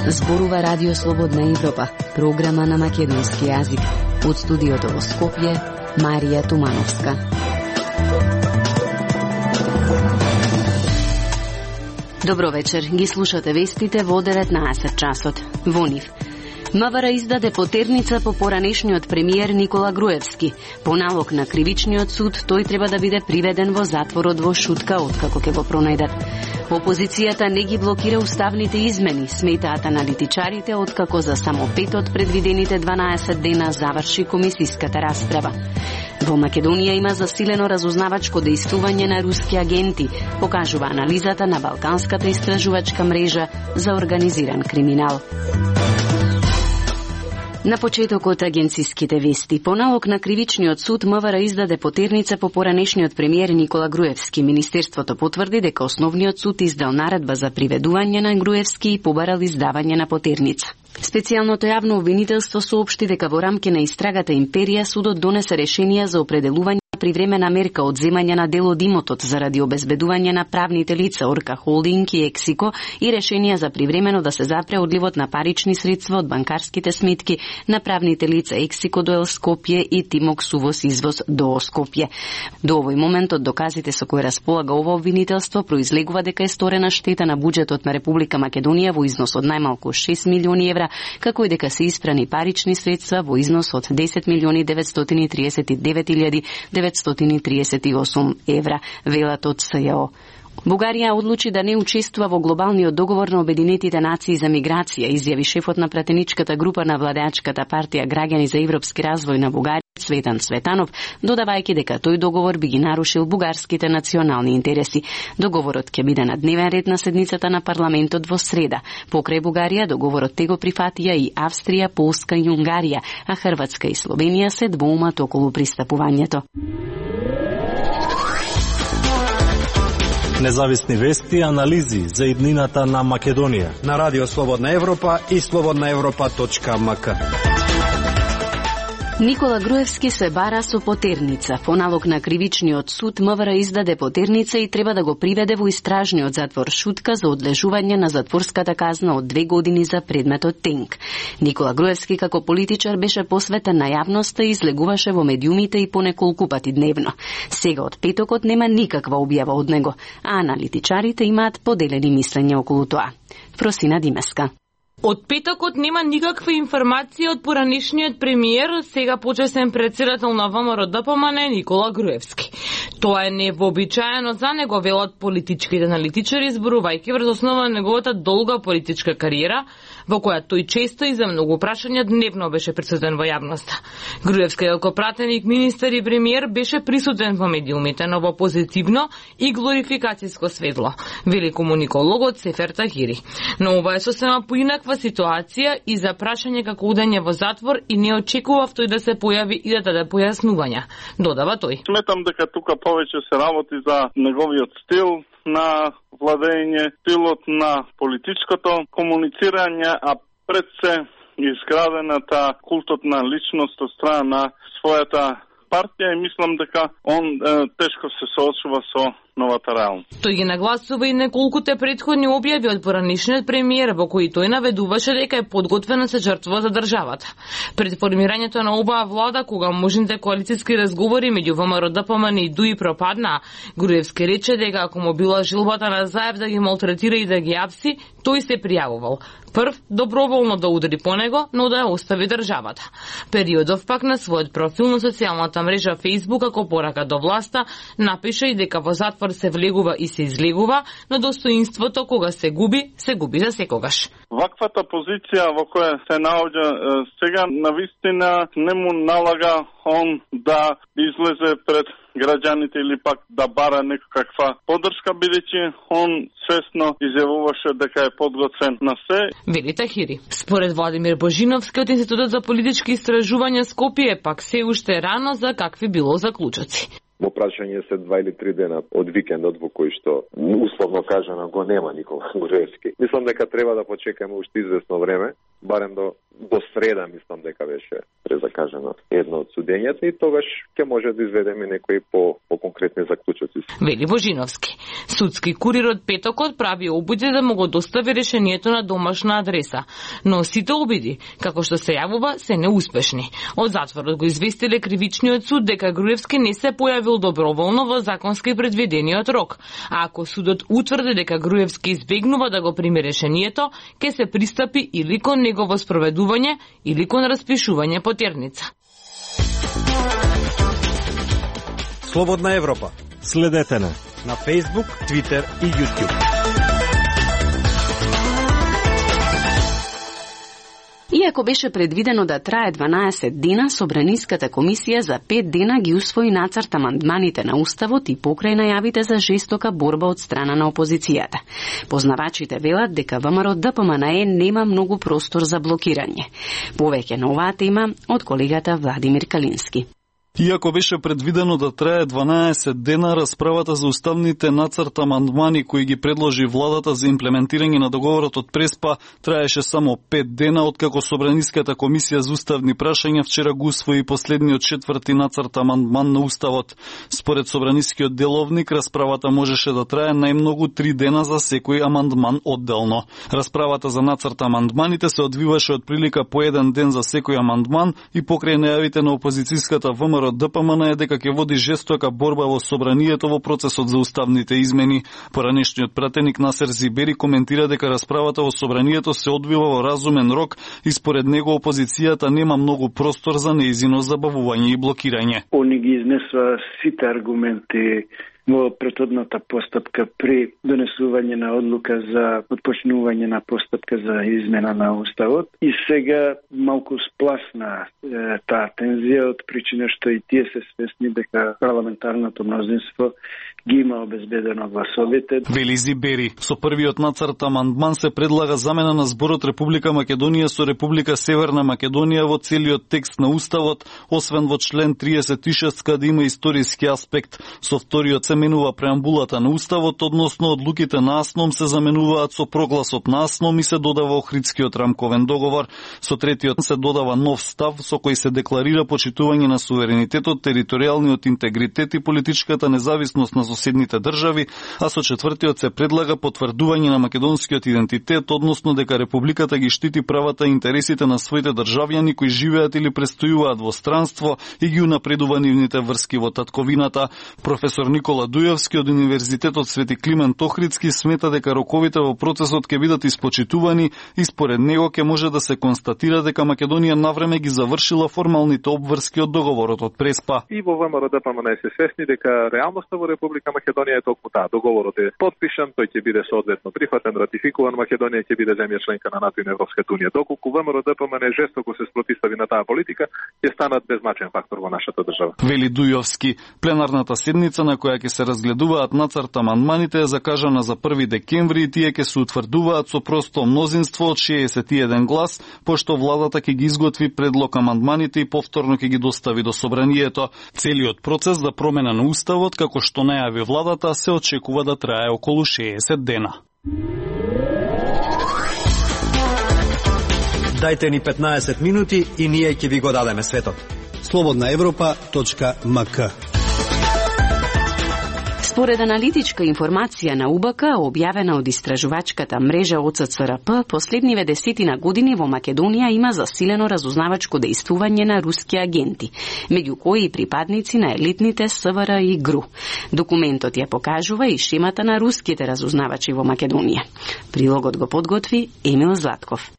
Зборува Радио Слободна Европа, програма на македонски јазик. Од студиото во Скопје, Марија Тумановска. Добро вечер, ги слушате вестите во 19 часот. Во нив. МВР издаде потерница по поранешниот премиер Никола Груевски. По налог на кривичниот суд, тој треба да биде приведен во затворот во Шутка, откако ќе го пронајдат. Опозицијата не ги блокира уставните измени, сметаат аналитичарите, откако за само 5 од предвидените 12 дена заврши комисиската расправа. Во Македонија има засилено разузнавачко дејствување на руски агенти, покажува анализата на Балканската истражувачка мрежа за организиран криминал. На почетокот агенциските вести. По налог на кривичниот суд МВР издаде потерница по поранешниот премиер Никола Груевски. Министерството потврди дека основниот суд издал наредба за приведување на Груевски и побарал издавање на потерница. Специјалното јавно обвинителство соопшти дека во рамки на истрагата Империја судот донесе решение за определување привремена мерка одземање на дел од имотот заради обезбедување на правните лица Орка Холдинг и Ексико и решение за привремено да се запре одливот на парични средства од банкарските сметки на правните лица Ексико до Скопје и Тимокс увоз извоз до Скопје. До овој момент од доказите со кои располага ова обвинителство произлегува дека е сторена штета на буџетот на Република Македонија во износ од најмалку 6 милиони евра, како и дека се испрани парични средства во износ од 10 милиони 939.938 евра, велат од СЈО. Бугарија одлучи да не учествува во глобалниот договор на Обединетите нации за миграција, изјави шефот на пратеничката група на владеачката партија Граѓани за европски развој на Бугарија, Цветан Цветанов, додавајќи дека тој договор би ги нарушил бугарските национални интереси. Договорот ќе биде на дневен ред на седницата на парламентот во среда. Покрај Бугарија, договорот те го прифатија и Австрија, Полска и Унгарија, а Хрватска и Словенија се двоумат околу пристапувањето. Независни вести и анализи за иднината на Македонија на Радио Слободна Европа и slobodnaevropa.mk. Никола Груевски се бара со потерница. По налог на кривичниот суд МВР издаде потерница и треба да го приведе во истражниот затвор Шутка за одлежување на затворската казна од 2 години за предметот Тенк. Никола Груевски како политичар беше посветен на јавноста и излегуваше во медиумите и по неколку пати дневно. Сега од петокот нема никаква објава од него, а аналитичарите имаат поделени мислења околу тоа. Просина Димеска. Од петокот нема никаква информација од поранешниот премиер, сега почесен претседател на ВМРО-ДПМН Никола Груевски. Тоа е невообичаено за него, велат политичките аналитичари, зборувајќи врз основа на неговата долга политичка кариера, во која тој често и за многу прашања дневно беше присутен во јавноста. Груевски како пратеник, министер и премиер беше присутен во медиумите, но во позитивно и глорификацијско светло, вели комуникологот Сефер Тахири. Но ова е сосема поинаква ситуација и за прашање како удање во затвор и не очекував тој да се појави и да даде појаснувања, додава тој. Сметам дека тука повеќе се работи за неговиот стил на владење, стилот на политичкото комуницирање, а пред се изградената култот на личност од страна на својата партија и мислам дека он тешко се соочува со новата реалност. Тој ги нагласува и неколкуте претходни објави од поранешниот премиер во кои тој наведуваше дека е подготвена се жртва за државата. Пред формирањето на оваа влада, кога можните коалициски разговори меѓу ВМРО-ДПМН и ДУИ пропадна, Груевски рече дека ако му била жилбата на Заев да ги малтретира и да ги апси, тој се пријавувал. Прв, доброволно да удари по него, но да ја остави државата. Периодов пак на својот профил на социјалната мрежа Facebook, како порака до власта, напише и дека во затвор се влегува и се излегува, но достоинството кога се губи за секогаш. Ваквата позиција во која се наоѓа сега навистина не му налага он да излезе пред граѓаните или пак да бара некаква поддршка, бидејќи он свесно изјавуваше дека е подготвен на се. Вели Тахири. Според Владимир Божиновски од Институтот за политички истражувања Скопје, пак се уште рано за какви било заклучоци. Во прашање се 2 или 3 дена од викендот во кој што условно кажано го нема Никола Груевски. Мислам дека треба да почекаме уште известно време, барем до до среда мислам дека беше презакажено едно од судењата и тогаш ќе може да изведеме некои по-конкретни заклучоци. Вели Божиновски. Судски курир од петокот прави обиди да му го достави решението на домашна адреса, но сите обиди, како што се јавува, се неуспешни. Од затворот го известиле кривичниот суд дека Груевски не се појавил доброволно во законски предвидениот рок, а ако судот утврди дека Груевски избегнува да го прими решението, ќе се пристапи или кон негово спроведување или кон распишување потерница. Слободна Европа. Следете на Facebook, Twitter и YouTube. Иако беше предвидено да трае 12 дена, Собраниската комисија за 5 дена ги усвои нацрт амандманите на Уставот и покрај најавите за жестока борба од страна на опозицијата. Познавачите велат дека ВМРО ДПМНЕ нема многу простор за блокирање. Повеќе на оваа тема од колегата Владимир Калински. Иако беше предвидено да трае 12 дена, расправата за уставните нацрт амандмани кои ги предложи владата за имплементирање на договорот од Преспа траеше само 5 дена, откако Собраниската комисија за уставни прашања вчера го усвои последниот 4ти нацрт амандман на Уставот. Според Собранискиот деловник, расправата можеше да трае најмногу 3 дена за секој амандман одделно. Расправата за нацрт амандманите се одвиваше од прилика по 1 ден за секој амандман и покрај најавите на опозицијската ВМРО ДПМН дека ќе води жестока борба во собранието во процесот за уставните измени. Поранешниот пратеник Насер Зибери коментира дека расправата во собранието се одвива во разумен рок и според него опозицијата нема многу простор за неизино забавување и блокирање. Они ги изнесува сите аргументи во претhodната постапка при донесување на одлука за отпочнување на постапка за измена на Уставот и сега малку спласна таа тензија од причина што и тие се свесни дека парламентарното мнозинство ги има обезбедено гласовите. Вели Зибери, со првиот нацрт амандман се предлага замена на зборот Република Македонија со Република Северна Македонија во целиот текст на Уставот, освен во член 36 каде има историски аспект. Со вториот се менува преамбулата на Уставот, односно одлуките на АСНОМ се заменуваат со прогласот на АСНОМ и се додава Охридскиот рамковен договор. Со третиот се додава нов став со кој се декларира почитување на суверенитетот, територијалниот интегритет и политичката независност на соседните држави, а со четвртиот се предлага потврдување на македонскиот идентитет, односно дека Републиката ги штити правата и интересите на своите државјани кои живеат или престојуваат во странство и ги унапредува нивните врски во татковината. Професор Никола Дујовски од Универзитетот Свети Климент Охридски смета дека роковите во процесот ќе бидат испочитувани и според него ќе може да се констатира дека Македонија навреме ги завршила формалните обврски од договорот од Преспа. И во ВМРО ДПМН се свесни дека реалноста во Република Македонија е толку таа. Договорот е подпишан, тој ќе биде соодветно прифатен, ратификуван, Македонија ќе биде земја членка на НАТО и на Европската унија. Доколку ВМРО ДПМН жестоко се спротивстави на таа политика, ќе станат беззначен фактор во нашата држава. Вели Дујовски, пленарната седница на која ќе се разгледуваат нацрт амандманите е закажана за 1 декември и тие ќе се утврдуваат со просто мнозинство од 61 глас, пошто владата ќе ги изготви предлог амандманите и повторно ќе ги достави до собранието. Целиот процес за промена на Уставот, како што најави владата, се очекува да трае околу 60 дена. Дајте ни 15 минути и ние ќе ви го дадеме светот. slobodnaevropa.mk. Според аналитичка информација на УБК, објавена од истражувачката мрежа ОЦЦРП, последниве 10 години во Македонија има засилено разузнавачко дејствување на руски агенти, меѓу кои и припадници на елитните СВР и ГРУ. Документот ја покажува и шемата на руските разузнавачи во Македонија. Прилогот го подготви Емил Златков.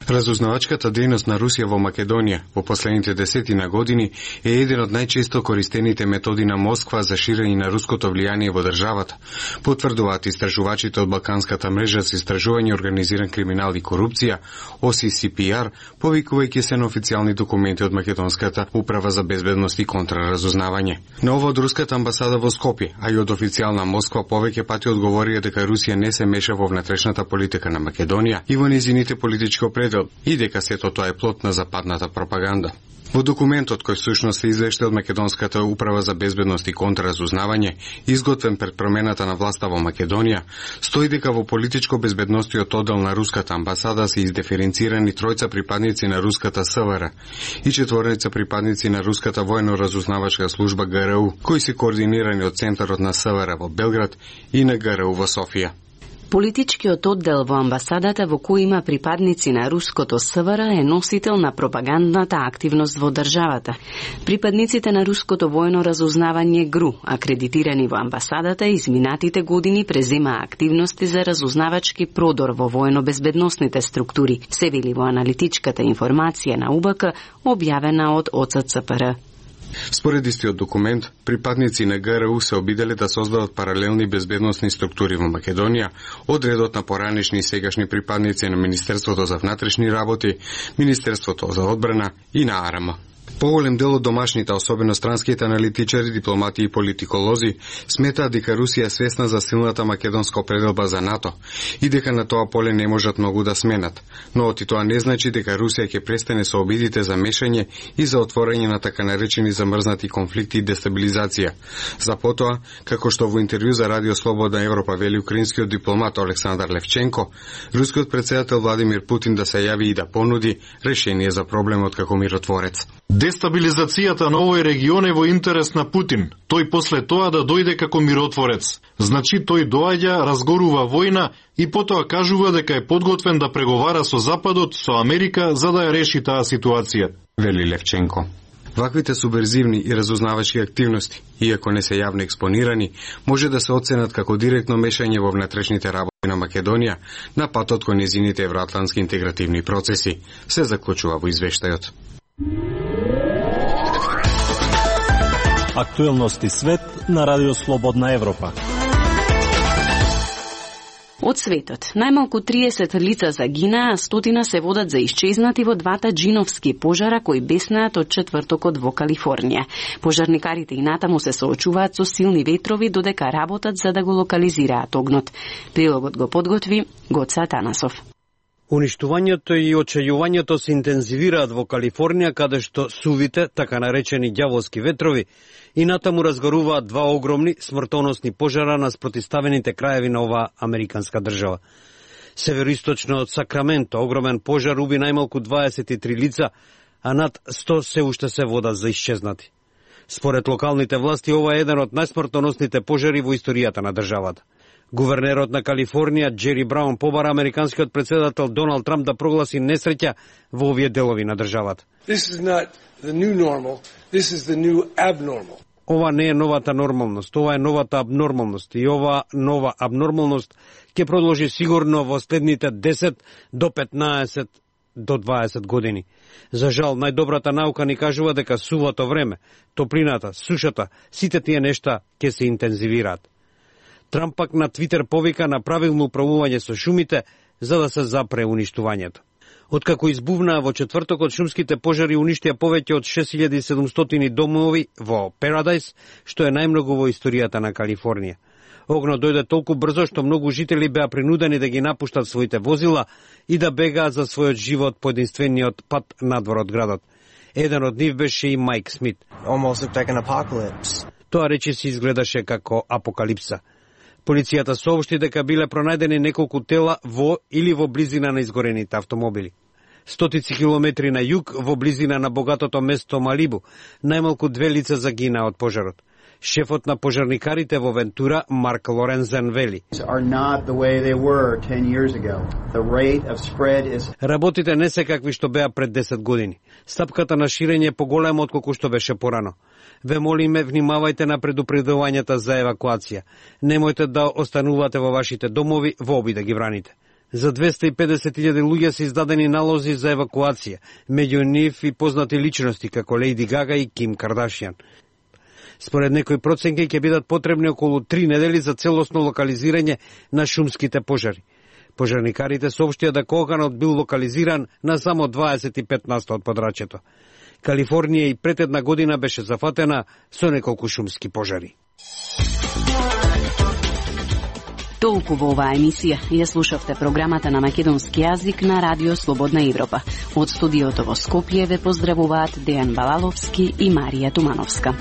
Разузнавачката дејност на Русија во Македонија во последните 10 години е еден од најчесто користените методи на Москва за ширење на руското влијание во државата, потврдуваат истражувачите од Балканската мрежа за истражување организиран криминал и корупција, OCCPR, повикувајќи се на официјални документи од Македонската управа за безбедност и контраразузнавање. Ново од руската амбасада во Скопје, а и од официјална Москва повеќе пати одговорија дека Русија не се меша во внатрешната политика на Македонија и во незините политичко и дека сето тоа е плод на западната пропаганда. Во документот кој всушност се извешта од Македонската управа за безбедност и контраразузнавање, изготвен пред промената на власта во Македонија, стои дека во политичко безбедностиот оддел на руската амбасада се издиференцирани тројца припадници на руската СВР и четворица припадници на руската војно-разузнавачка служба ГРУ, кои се координирани од центарот на СВР во Белград и на ГРУ во Софија. Политичкиот оддел во амбасадата во кој има припадници на руското СВР е носител на пропагандната активност во државата. Припадниците на руското војно разузнавање ГРУ, акредитирани во амбасадата, изминатите години презема активности за разузнавачки продор во војно-безбедносните структури, се вели во аналитичката информација на УБК, објавена од ОЦЦПР. Според истиот документ, припадници на ГРУ се обиделе да создадат паралелни безбедносни структури во Македонија, од редот на поранешни и сегашни припадници на Министерството за внатрешни работи, Министерството за одбрана и на АРМ. Поголем дел од домашните, особено странските аналитичари, дипломати и политиколози, сметаат дека Русија е свесна за силната македонска определба за НАТО и дека на тоа поле не можат многу да сменат. Но оти тоа не значи дека Русија ќе престане со обидите за мешање и за отворање на така наречени замрзнати конфликти и дестабилизација. За потоа, како што во интервју за Радио Слободна Европа вели украинскиот дипломат Александар Левченко, рускиот председател Владимир Путин да се јави и да понуди решение за проблемот како миротворец. Дестабилизацијата на овој регион е во интерес на Путин. Тој после тоа да дојде како миротворец. Значи тој доаѓа, разгорува војна и потоа кажува дека е подготвен да преговара со Западот, со Америка, за да ја реши таа ситуација, вели Левченко. Ваквите субверзивни и разузнавачки активности, иако не се јавно експонирани, може да се оценат како директно мешање во внатрешните работи на Македонија на патот кон нејзините евроатлантски интегративни процеси, се заклучува во извештајот. Актуелности свет на Радио Слободна Европа. Од светот, најмалку 30 лица загинаа, а 100 се водат за исчезнати во двата джиновски пожара кои беснаат од четвртокот во Калифорнија. Пожарникарите и натаму се соочуваат со силни ветрови додека работат за да го локализираат огнот. Прилогот го подготви Гоца Танасов. Уништувањето и очајувањето се интензивираат во Калифорнија, каде што сувите, така наречени ѓаволски ветрови, и натаму разгоруваат два огромни смртоносни пожара на спротиставените краеви на оваа американска држава. Североисточно од Сакраменто огромен пожар уби најмалку 23 лица, а над 100 се уште се водат за исчезнати. Според локалните власти, ова е еден од најсмртоносните пожари во историјата на државата. Гувернерот на Калифорнија, Джери Браун, побара американскиот председател Доналд Трамп да прогласи несреќа во овие делови на државата. Ова не е новата нормалност, ова е новата абнормалност и ова нова абнормалност ќе продолжи сигурно во следните 10 до 15 до 20 години. За жал, најдобрата наука ни кажува дека сувато време, топлината, сушата, сите тие нешта ќе се интензивираат. Трамп пак на Твитер повика на правилно управување со шумите за да се запре уништувањето. Откако избувнаа во четвртокот, шумските пожари уништија повеќе од 6700 домови во Парадайс, што е најмногу во историјата на Калифорнија. Огнот дојде толку брзо што многу жители беа принудени да ги напуштат своите возила и да бегаат за својот живот по единствениот пат надвор од градот. Еден од нив беше и Майк Смит. Тоа речиси изгледаше како апокалипса. Полицијата соопшти дека биле пронајдени неколку тела во или во близина на изгорените автомобили. Стотици километри на југ, во близина на богатото место Малибу, најмалку 2 лица загинаа од пожарот. Шефот на пожарникарите во Вентура, Марк Лорензен, вели: работите не се какви што беа пред 10 години. Стапката на ширење е поголема отколку што беше порано. Ве молиме, внимавајте на предупредувањата за евакуација. Немојте да останувате во вашите домови во обид да ги браните. За 250.000 луѓе се издадени налози за евакуација, меѓу нив и познати личности како Лејди Гага и Ким Кардашијан. Според некои проценки ќе бидат потребни околу 3 недели за целосно локализирање на шумските пожари. Пожарникарите соопштија дека оганот бил локализиран на само 25% од подрачјето. Калифорнија и пред една година беше зафатена со неколку шумски пожари. Толку во оваа емисија. Ја слушавте програмата на македонски јазик на Радио Слободна Европа. Од студиото во Скопје ве поздравуваат Дејан Балаловски и Марија Тумановска.